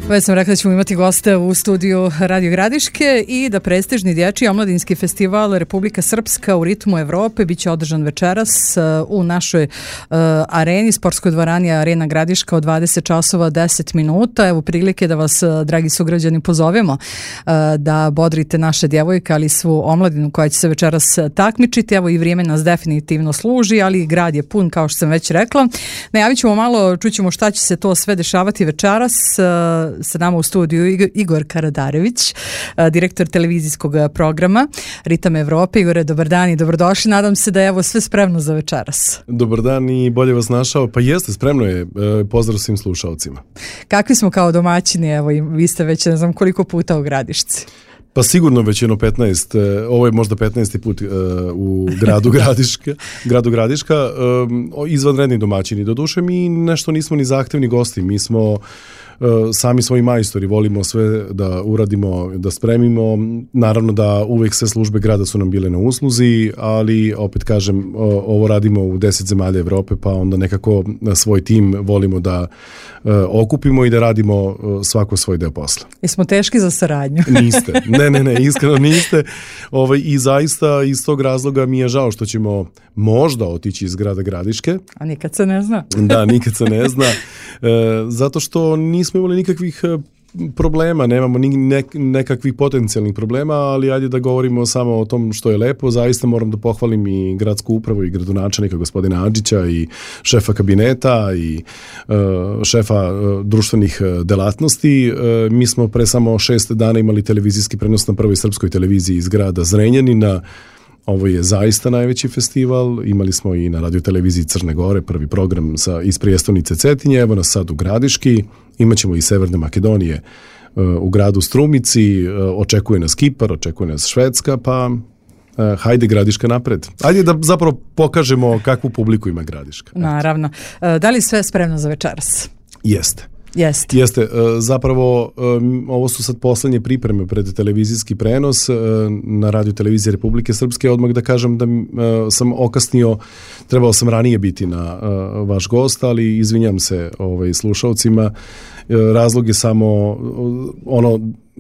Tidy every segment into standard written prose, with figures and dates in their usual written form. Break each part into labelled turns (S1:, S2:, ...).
S1: Već sam rekla da ćemo imati goste u studiju Radio Gradiške i da prestižni dječji omladinski festival Republika Srpska u ritmu Evrope biće održan večeras u našoj areni, sportskoj dvorani Arena Gradiška od 20 časova 10 minuta. Evo prilike da vas, dragi sugrađani, pozovemo da bodrite naše djevojke, ali svu omladinu koja će se večeras takmičiti. Evo i vrijeme nas definitivno služi, ali grad je pun, kao što sam već rekla. Najavit ćemo malo, čućemo šta će se to sve dešavati večeras. Sa nama u studiju Igor Karadarević, direktor televizijskog programa Ritam Evrope. Igore, dobar dan i dobrodošli. Nadam se da je evo sve spremno za večeras.
S2: Dobar dan i bolje vas našao. Pa jeste, spremno je. Pozdrav svim slušalcima.
S1: Kakvi smo kao domaćini? Evo, vi ste već ne znam koliko puta u Gradišci.
S2: Pa sigurno već jedno 15, ovo je možda 15. put u gradu Gradiška, izvanredni domaćini. Doduše mi nešto nismo ni zahtevni gosti, mi smo sami svoji majstori, volimo sve da uradimo, da spremimo. Naravno da uvijek sve službe grada su nam bile na usluzi, ali opet kažem, ovo radimo u 10 zemalja Evrope, pa onda nekako svoj tim volimo da okupimo i da radimo svako svoj deo posla.
S1: Jesmo teški za saradnju?
S2: Niste, ne, iskreno niste. I zaista iz tog razloga mi je žao što ćemo možda otići iz grada Gradiške.
S1: A nikad se ne zna.
S2: Da, nikad se ne zna. Zato što nismo imali nikakvih problema, nemamo nekakvih potencijalnih problema, ali ajde da govorimo samo o tom što je lepo. Zaista moram da pohvalim i gradsku upravu i gradonačelnika gospodina Adžića i šefa kabineta i šefa društvenih delatnosti. Mi smo pre samo 6 dana imali televizijski prenos na prvoj srpskoj televiziji iz grada Zrenjanina. Ovo je zaista najveći festival, imali smo i na radioteleviziji Crne Gore prvi program iz prijestolnice Cetinje, evo nas sad u Gradiški, imat ćemo i Severne Makedonije u gradu Strumici, očekuje nas Kipar, očekuje nas Švedska, pa hajde Gradiška napred. Ajde da zapravo pokažemo kakvu publiku ima Gradiška.
S1: Naravno. Da li sve spremno za večeras?
S2: Jeste. Zapravo ovo su sad poslednje pripreme pred televizijski prenos na Radio televiziji Republike Srpske. Odmah da kažem da sam okasnio, trebao sam ranije biti na vaš gost, ali izvinjam se slušalcima. Razlog je samo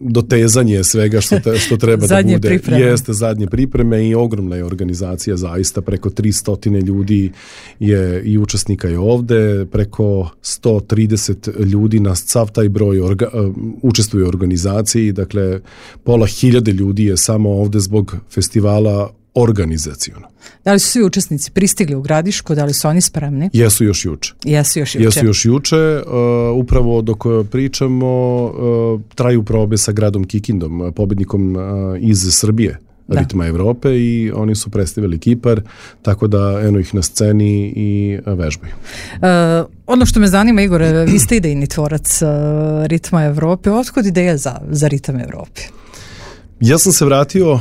S2: dotezanje svega što treba da bude.
S1: Pripreme.
S2: Jeste zadnje pripreme i ogromna je organizacija, zaista preko 300 ljudi je i učesnika je ovde, preko 130 ljudi na sav taj broj učestvuje u organizaciji, dakle pola hiljade ljudi je samo ovde zbog festivala organizaciono.
S1: Da li su svi učesnici pristigli u Gradišku, da li su oni spremni?
S2: Jesu još juče. Upravo dok pričamo, traju probe sa gradom Kikindom, pobednikom iz Srbije, Ritma Evrope, i oni su predstavili Kipar, tako da eno ih na sceni i vežbaju.
S1: Ono što me zanima, Igore, vi ste idejni tvorac Ritma Evrope. Otkud ideja za Ritam Evrope?
S2: Ja sam se vratio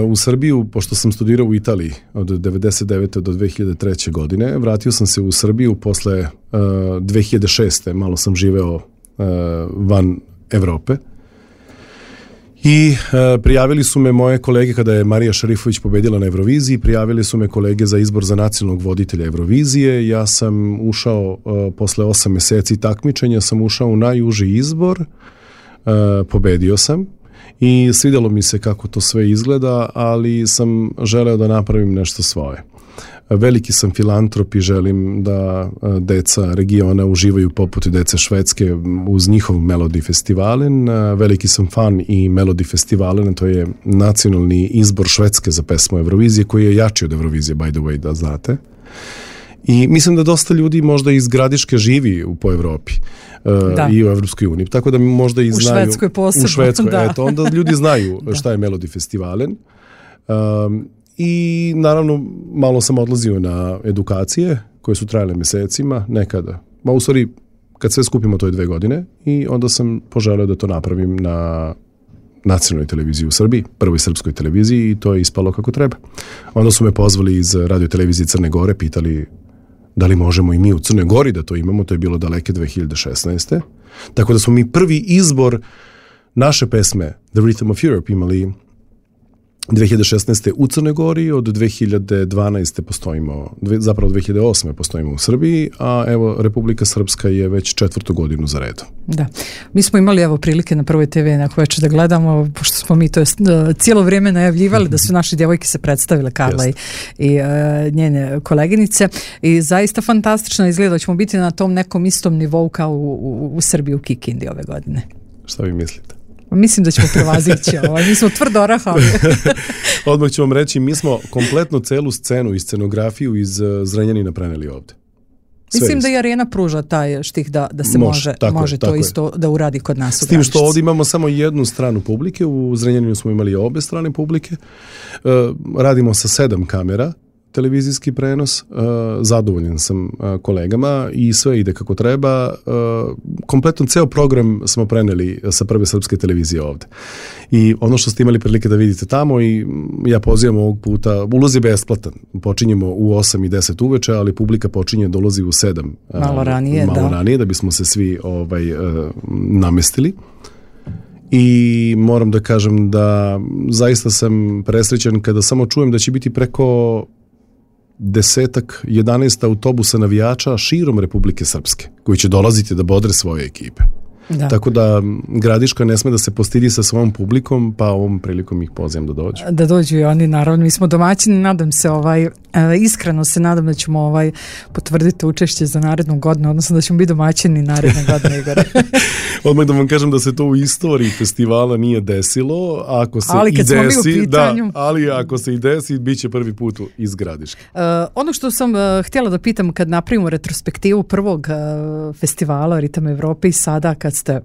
S2: u Srbiju, pošto sam studirao u Italiji od 1999. do 2003. godine. Vratio sam se u Srbiju posle 2006. Malo sam živeo van Evrope. I prijavili su me moje kolege kada je Marija Šarifović pobedila na Euroviziji, prijavili su me kolege za izbor za nacionalnog voditelja Eurovizije. Ja sam ušao posle 8 meseci takmičenja, sam ušao u najuži izbor, pobedio sam. I svidjelo mi se kako to sve izgleda, ali sam želeo da napravim nešto svoje. Veliki sam filantrop i želim da deca regiona uživaju poput dece Švedske uz njihov Melodi Festivalen. Veliki sam fan i Melodi Festivalen, to je nacionalni izbor Švedske za pesmu Eurovizije, koji je jači od Eurovizije, by the way, da znate. I mislim da dosta ljudi možda iz Gradiške živi po Evropi i u Evropskoj uniji, tako da možda i znaju.
S1: U Švedskoj posebno.
S2: U Švedskoj, eto, onda ljudi znaju šta je Melodi Festivalen. I naravno malo sam odlazio na edukacije koje su trajale mesecima, nekada. U stvari, kad sve skupimo, to je 2 godine, i onda sam poželeo da to napravim na nacionalnoj televiziji u Srbiji, prvoj srpskoj televiziji, i to je ispalo kako treba. Onda su me pozvali iz Radio televizije Crne Gore, pitali da li možemo i mi u Crnoj Gori da to imamo, to je bilo daleke 2016. Tako da smo mi prvi izbor naše pesme The Rhythm of Europe imali 2016. u Crnoj Gori, od 2012. postojimo, zapravo 2008. postojimo u Srbiji, a evo Republika Srpska je već 4. godinu za redom.
S1: Da, mi smo imali evo prilike na Prvoj TV neko večer da gledamo, pošto smo mi to cijelo vrijeme najavljivali da su naše djevojke se predstavile, Karla i njene koleginice, i zaista fantastično izgleda da ćemo biti na tom nekom istom nivou kao u Srbiji, u Kikindi ove godine.
S2: Šta vi mislite?
S1: Mislim da ćemo prevazići mi smo tvrdo orahali.
S2: Odmah ću vam reći, mi smo kompletno celu scenu i scenografiju iz Zrenjanina preneli ovde.
S1: Mislim da i Arena pruža taj štih da se može to isto da uradi kod nas.
S2: S tim što ovdje imamo samo jednu stranu publike, u Zrenjaninu smo imali obe strane publike, radimo sa 7 kamera, televizijski prenos, zadovoljan sam kolegama i sve ide kako treba. Kompletno ceo program smo preneli sa Prve srpske televizije ovde. I ono što ste imali prilike da vidite tamo, i ja pozivam ovog puta, ulaz je besplatan. Počinjemo u 8 i 10 uveče, ali publika počinje da ulazi u 7.
S1: Malo ranije,
S2: da bismo se svi namestili. I moram da kažem da zaista sam presrećan kada samo čujem da će biti preko 11 autobusa navijača širom Republike Srpske koji će dolaziti da bodre svoje ekipe. Da. Tako da Gradiška ne sme da se postidi sa svojom publikom, pa ovom prilikom ih pozivam da dođu. Da
S1: dođu i oni, naravno. Mi smo domaćini, nadam se, iskreno se nadam da ćemo potvrditi učešće za narednu godinu, odnosno da ćemo biti domaćini naredne godine, Igore.
S2: Odmah da vam kažem da se to u istoriji festivala nije desilo, ako se
S1: ali kad
S2: i desi,
S1: smo mi u pitanju...
S2: ali ako se i desi, bit će prvi put iz Gradiške.
S1: Ono što sam htjela da pitam, kad napravimo retrospektivu prvog festivala Ritam Evrope i sada kad ste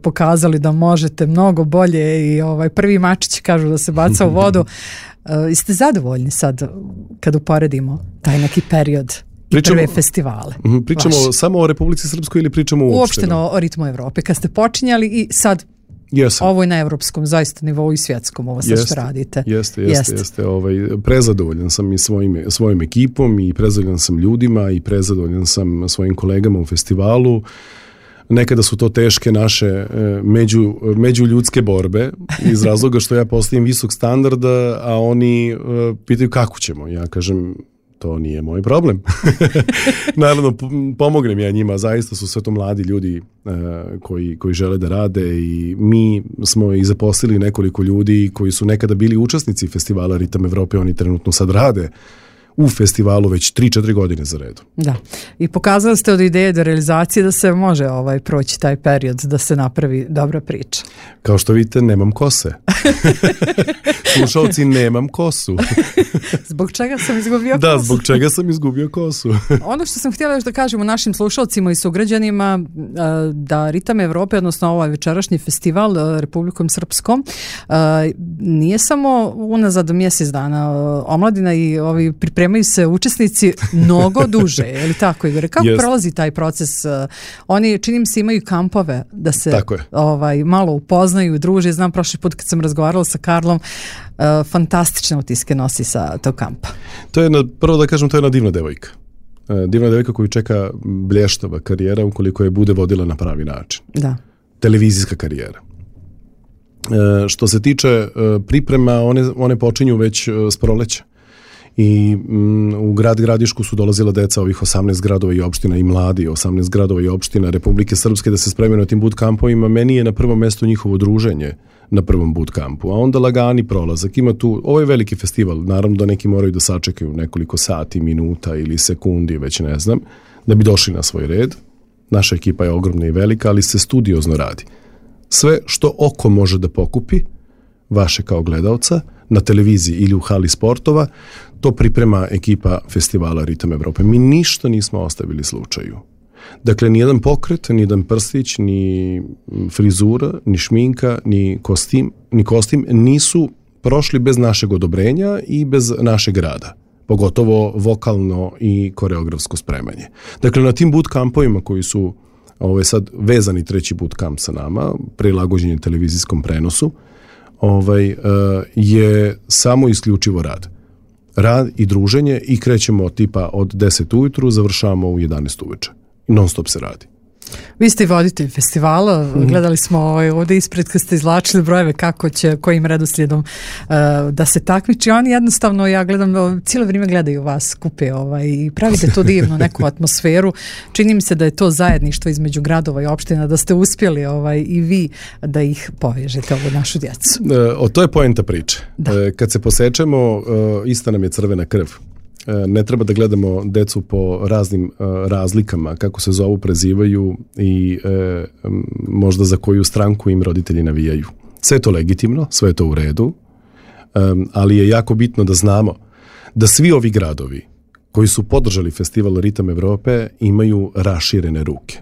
S1: pokazali da možete mnogo bolje i prvi mačić kažu da se baca u vodu, jeste zadovoljni sad kad uporedimo taj neki period prve festivale?
S2: Pričamo samo o Republici Srpskoj ili pričamo
S1: uopšteno o Ritmu Evrope? Kad ste počinjali i sad ovo je na evropskom zaista nivou i svjetskom, ovo sve što radite.
S2: Jeste. Prezadovoljan sam i svojim ekipom i prezadovoljan sam ljudima i prezadovoljan sam svojim kolegama u festivalu. Nekada su to teške naše međuljudske borbe iz razloga što ja postavim visok standard, a oni pitaju kako ćemo. Ja kažem, to nije moj problem. Naravno, pomognem ja njima, zaista su sve to mladi ljudi koji žele da rade, i mi smo i zaposlili nekoliko ljudi koji su nekada bili učesnici festivala Ritam Evrope, oni trenutno sad rade u festivalu već 3-4 godine za redu. Da.
S1: I pokazali ste od ideje do realizacije da se može proći taj period, da se napravi dobra priča.
S2: Kao što vidite, nemam kose. Slušalci, nemam kosu.
S1: Zbog čega sam izgubio kosu?
S2: Da, zbog čega sam izgubio kosu.
S1: Ono što sam htjela još da kažem našim slušalcima i sugrađanima, da Ritam Evrope, odnosno ovaj večerašnji festival Republikom Srpskom, nije samo unazad mjesec dana. Omladina i ovi pripremaju se učesnici mnogo duže, je li tako, Igore? Kako prolazi taj proces? Oni, čini mi se, imaju kampove da se malo upoznaju, druže. Znam, prošli put kad sam razgovarala sa Karlom, fantastične utiske nosi sa tog kampa.
S2: To je, prvo da kažem, to je jedna divna devojka. Divna devojka koju čeka blještava karijera ukoliko je bude vodila na pravi način.
S1: Da.
S2: Televizijska karijera. Što se tiče priprema, one počinju već s proleća. I u grad Gradišku su dolazila deca ovih 18 gradova i opština i mladi 18 gradova i opština Republike Srpske da se spremaju na tim bootcampovima. Meni je na prvom mjestu njihovo druženje na prvom bootcampu, a onda lagani prolazak. Ima tu, ovo je veliki festival, naravno da neki moraju da sačekaju nekoliko sati, minuta ili sekundi, već ne znam, da bi došli na svoj red. Naša ekipa je ogromna i velika, ali se studiozno radi. Sve što oko može da pokupi, vaše kao gledaoca, na televiziji ili u hali sportova, to priprema ekipa festivala Ritam Evrope. Mi ništa nismo ostavili slučaju. Dakle, ni jedan pokret, ni jedan prstić, ni frizura, ni šminka, ni kostim nisu prošli bez našeg odobrenja i bez našeg rada. Pogotovo vokalno i koreografsko spremanje. Dakle, na tim bootcampovima koji su sad vezani treći bootcamp sa nama, prilagođenje televizijskom prenosu, je samo isključivo rad. Rad i druženje, i krećemo tipa od 10 ujutru, završavamo u 11 uveče. Non stop se radi.
S1: Vi ste i voditelj festivala, gledali smo ovdje ispred kad ste izvlačili brojeve kako će, kojim redoslijedom da se takmiči. Oni jednostavno, ja gledam, cijelo vrijeme gledaju vas kupe i pravite to divno, neku atmosferu. Čini mi se da je to zajedništvo između gradova i opština, da ste uspjeli i vi da ih povežete, ovu našu djecu.
S2: To je poenta priče. Kad se posečemo, ista nam je crvena krv. Ne treba da gledamo decu po raznim razlikama, kako se zovu, prezivaju i možda za koju stranku im roditelji navijaju. Sve je to legitimno, sve je to u redu, ali je jako bitno da znamo da svi ovi gradovi koji su podržali festival Ritam Evrope imaju raširene ruke.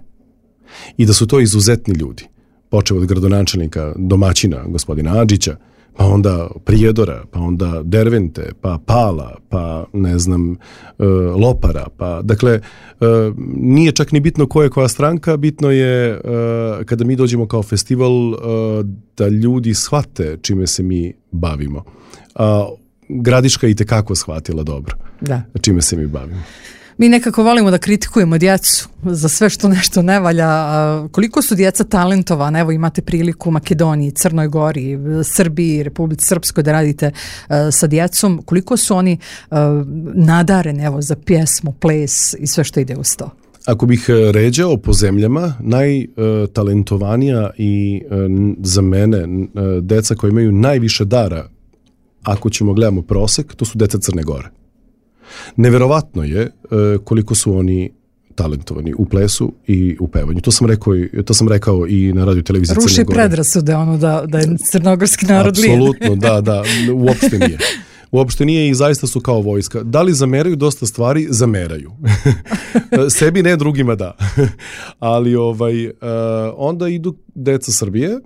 S2: I da su to izuzetni ljudi. Počeo od gradonačelnika, domaćina, gospodina Adžića, pa onda Prijedora, pa onda Dervente, pa Pala, pa ne znam, Lopara, pa dakle, nije čak ni bitno ko je koja stranka, bitno je kada mi dođemo kao festival da ljudi shvate čime se mi bavimo. Gradiška je itekako shvatila dobro čime se mi bavimo.
S1: Mi nekako volimo da kritikujemo djecu za sve što nešto ne valja. Koliko su djeca talentovana? Evo imate priliku u Makedoniji, Crnoj Gori, Srbiji, Republici Srpskoj da radite sa djecom. Koliko su oni nadareni evo, za pjesmu, ples i sve što ide uz to?
S2: Ako bih ređao po zemljama, najtalentovanija i za mene deca koja imaju najviše dara, ako ćemo gledamo prosek, to su deca Crne Gore. Neverovatno je koliko su oni talentovani u plesu i u pevanju. To sam rekao i na radio televiziji Crne Gore.
S1: Ruši predrasude da je crnogorski narod lijen.
S2: Apsolutno, da, uopšte nije. Uopšte nije i zaista su kao vojska. Da li zameraju dosta stvari? Zameraju. Sebi ne, drugima da. Ali onda idu deca Srbije.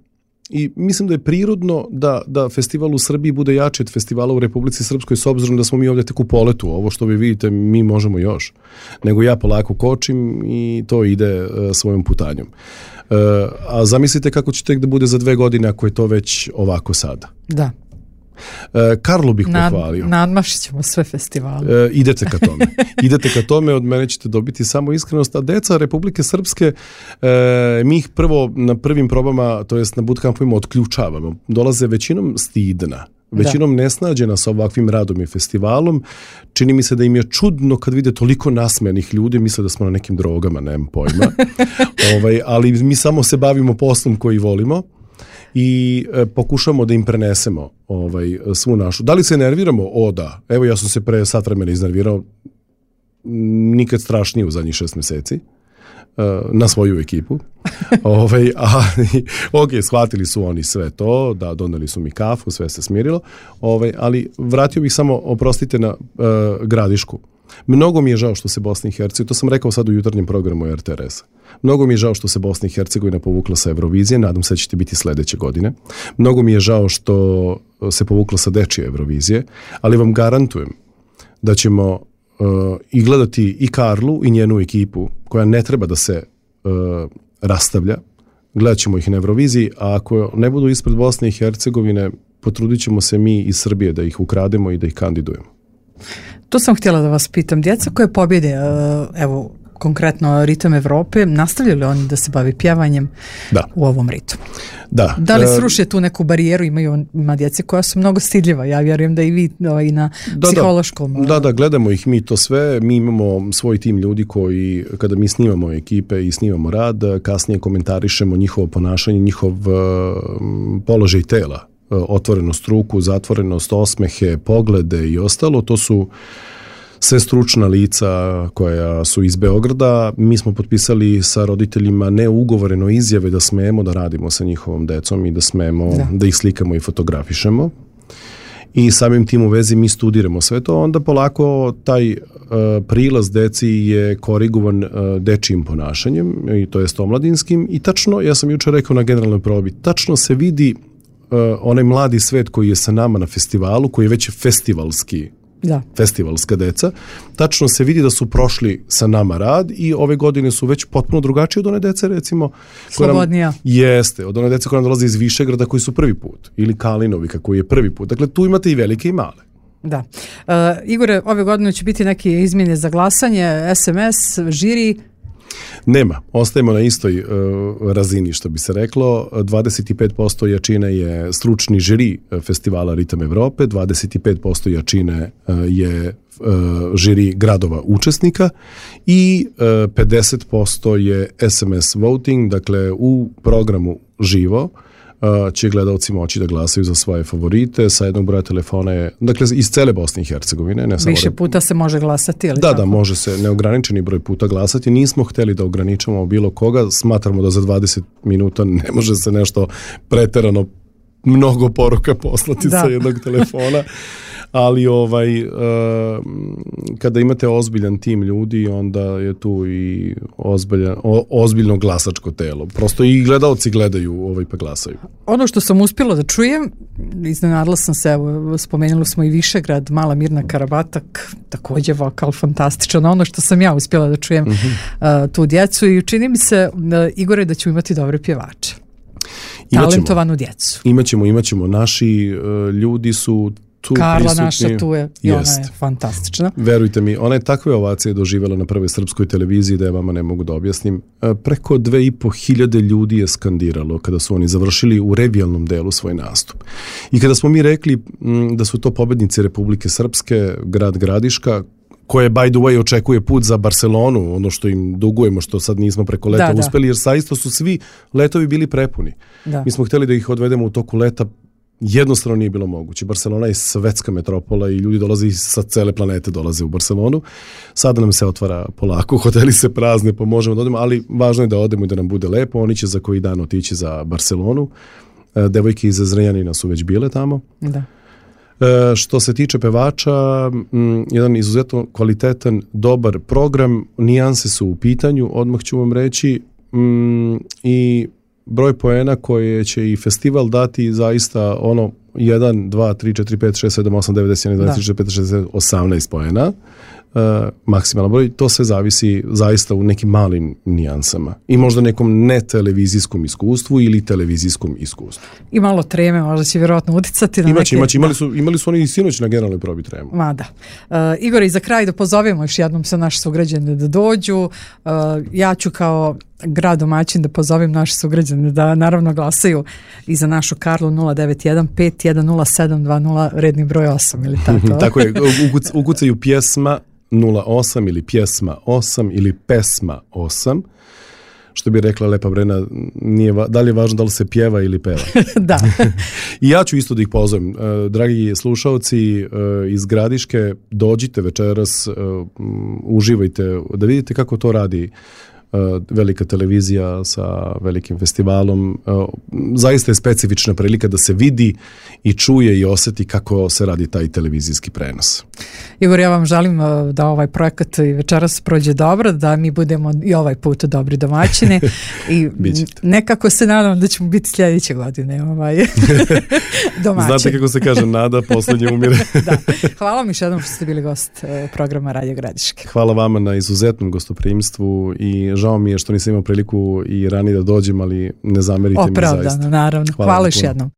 S2: I mislim da je prirodno da festival u Srbiji bude jači od festivala u Republici Srpskoj, s obzirom da smo mi ovdje tek u poletu. Ovo što vi vidite, mi možemo još. Nego ja polako kočim i to ide svojom putanjom. A zamislite kako će tek da bude za 2 godine ako je to već ovako sada.
S1: Da.
S2: Karlo bih pohvalio.
S1: Nadmašit ćemo sve festivale.
S2: Idete ka tome, od mene ćete dobiti samo iskrenost, a deca Republike Srpske, mi ih prvo na prvim probama, to jest na bootcampovima otključavamo. Dolaze većinom stidna, većinom nesnađena sa ovakvim radom i festivalom. Čini mi se da im je čudno kad vide toliko nasmejanih ljudi, misle da smo na nekim drogama, nemam pojma. Ali mi samo se bavimo poslom koji volimo i pokušamo da im prenesemo svu našu. Da li se nerviramo? O da. Evo ja sam se pre sat vremena iznervirao, nikad strašnije u zadnjih 6 mjeseci na svoju ekipu. Shvatili su oni sve to, da doneli su mi kafu, sve se smirilo. Ali vratio bih samo, oprostite, na Gradišku. Mnogo mi je žao što se Bosna i Hercegovina, to sam rekao sad u jutarnjem programu RTRS-a, mnogo mi je žao što se Bosna i Hercegovina povukla sa Eurovizije, nadam se da će biti sljedeće godine. Mnogo mi je žao što se povukla sa dečije Eurovizije, ali vam garantujem da ćemo i gledati i Karlu i njenu ekipu, koja ne treba da se rastavlja. Gledat ćemo ih na Euroviziji, a ako ne budu ispred Bosne i Hercegovine, potrudit ćemo se mi iz Srbije da ih ukrademo i da ih kandidujemo.
S1: To sam htjela da vas pitam. Djeca koje pobjede, evo, konkretno Ritam Evrope, nastavljaju li oni da se bavi pjevanjem u ovom ritmu? Da li sruše tu neku barijeru? Ima djece koja su mnogo stidljiva. Ja vjerujem da i vi i na psihološkom.
S2: Da, gledamo ih mi to sve. Mi imamo svoj tim ljudi koji, kada mi snimamo ekipe i snimamo rad, kasnije komentarišemo njihovo ponašanje, njihov položaj tela, otvorenost ruku, zatvorenost, osmehe, poglede i ostalo. To su sve stručna lica koja su iz Beograda. Mi smo potpisali sa roditeljima neugovoreno izjave da smemo da radimo sa njihovom decom i da smemo da ih slikamo i fotografišemo. I samim tim u vezi mi studiramo sve to. Onda polako taj prilaz deci je korigovan dečijim ponašanjem, i to jest omladinskim. I tačno, ja sam jučer rekao na generalnoj probi, tačno se vidi onaj mladi svet koji je sa nama na festivalu, koji je već festivalska deca, tačno se vidi da su prošli sa nama rad i ove godine su već potpuno drugačije od one dece, recimo.
S1: Slobodnija.
S2: Jeste, od one dece koja nam dolaze iz Višegrada koji su prvi put, ili Kalinovika koji je prvi put. Dakle, tu imate i velike i male.
S1: Da. Igore, ove godine će biti neke izmjene za glasanje, SMS, žiri.
S2: Nema, ostajemo na istoj razini, što bi se reklo. 25% jačine je stručni žiri festivala Ritam Evrope, 25% jačine je žiri gradova učesnika i 50% je SMS voting, dakle u programu živo će gledalci moći da glasaju za svoje favorite sa jednog broja telefona je, dakle iz cele Bosne i Hercegovine. Ne samo
S1: više puta se može glasati ili
S2: da, može se neograničeni broj puta glasati. Nismo hteli da ograničamo bilo koga, smatramo da za 20 minuta ne može se nešto preterano mnogo poruka poslati sa jednog telefona, ali kada imate ozbiljan tim ljudi, onda je tu i ozbiljno glasačko telo. Prosto i gledalci gledaju pa glasaju.
S1: Ono što sam uspjela da čujem, iznenadila sam se, evo, spomenuli smo i Višegrad, Mala Mirna Karabatak, također vokal fantastičan, ono što sam ja uspjela da čujem tu djecu i čini mi se, Igore, da ćemo imati dobre pjevače. Talentovanu djecu.
S2: Imaćemo. Naši ljudi su tu
S1: Karla
S2: prisutni.
S1: Naša tu je i ona je fantastična.
S2: Verujte mi, ona je takve ovacije doživjela na prvoj srpskoj televiziji da je vama ne mogu da objasnim. Preko 2.500 ljudi je skandiralo kada su oni završili u revijalnom delu svoj nastup. I kada smo mi rekli da su to pobednici Republike Srpske, grad Gradiška, koje, by the way, očekuje put za Barcelonu, ono što im dugujemo, što sad nismo preko leta uspeli, jer saista su svi letovi bili prepuni. Da. Mi smo htjeli da ih odvedemo u toku leta, jednostavno nije bilo moguće. Barcelona je svetska metropola i ljudi dolaze sa cele planete, dolaze u Barcelonu. Sada nam se otvara polako, hoteli se prazne, pa možemo da odemo, ali važno je da odemo i da nam bude lepo. Oni će za koji dan otići za Barcelonu. Devojke iz Zrenjanina su već bile tamo. Da. Što se tiče pevača, jedan izuzetno kvalitetan, dobar program, nijanse su u pitanju, odmah ću vam reći, i broj poena koje će i festival dati zaista 1, 2, 3, 4, 5, 6, 7, 8, 9, 10, 11, 12, 13, 14, 15, 16, 18 poena. Maksimalan broj, to sve zavisi zaista u nekim malim nijansama i možda nekom netelevizijskom iskustvu ili televizijskom iskustvu.
S1: I malo treme možda će vjerojatno uticati na
S2: imali su oni i sinoć na generalnoj probi tremu.
S1: Igor, i za kraj da pozovemo još jednom sa naše sugrađane da dođu. Ja ću kao grad domaćin da pozovem naše sugrađane da naravno glasaju i za našu Karlu 091 510720 redni broj 8 ili tako.
S2: Tako je, ukucaju pjesma 08 ili pjesma 8 ili pesma 8. Što bi rekla Lepa Brena, da li je važno da li se pjeva ili peva.
S1: Da.
S2: I ja ću isto da ih pozovem. Dragi slušaoci iz Gradiške, dođite večeras, uživajte, da vidite kako to radi velika televizija sa velikim festivalom. Zaista je specifična prilika da se vidi i čuje i osjeti kako se radi taj televizijski prenos.
S1: Igor, ja vam želim da ovaj projekat i večeras prođe dobro, da mi budemo i ovaj put dobri domaćini i nekako se nadam da ćemo biti sljedeće godine domaćini.
S2: Znate kako se kaže, nada posljednje umire.
S1: Da. Hvala vam još jednom što ste bili gost programa Radio Gradiške.
S2: Hvala vama na izuzetnom gostoprimstvu i žao mi je što nisam imao priliku i ranije da dođem, ali ne zamerite mi zaista.
S1: Opravdano, naravno. Hvala još jednom.